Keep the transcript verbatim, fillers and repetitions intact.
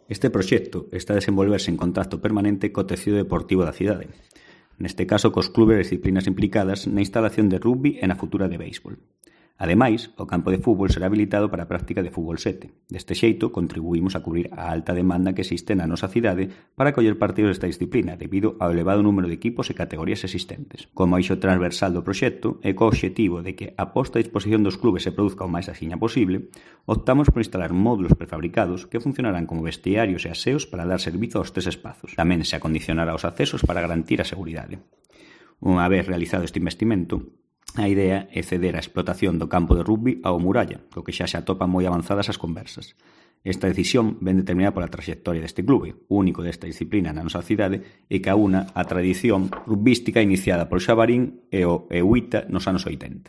Este proxecto está a desenvolverse en contacto permanente co tecido deportivo da cidade, neste caso cos clubes e disciplinas implicadas na instalación de rugby e na futura de béisbol. Ademais, o campo de fútbol será habilitado para a práctica de fútbol sete. Deste xeito, contribuímos a cubrir a alta demanda que existe na nosa cidade para coller partidos desta disciplina debido ao elevado número de equipos e categorías existentes. Como eixo transversal do proxecto e co obxectivo de que a posta a disposición dos clubes se produzca o máis axiña posible, optamos por instalar módulos prefabricados que funcionarán como vestiarios e aseos para dar servizo aos tres espazos. Tamén se acondicionará os accesos para garantir a seguridade. Unha vez realizado este investimento, a idea é ceder a explotación do campo de rugby ao Muralla, co que xa se atopan moi avanzadas as conversas. Esta decisión ven determinada pola traxectoria deste clube, único desta disciplina na nosa cidade, e que aúna a tradición rugbística iniciada por Xabarín e o Euita nos anos oitenta.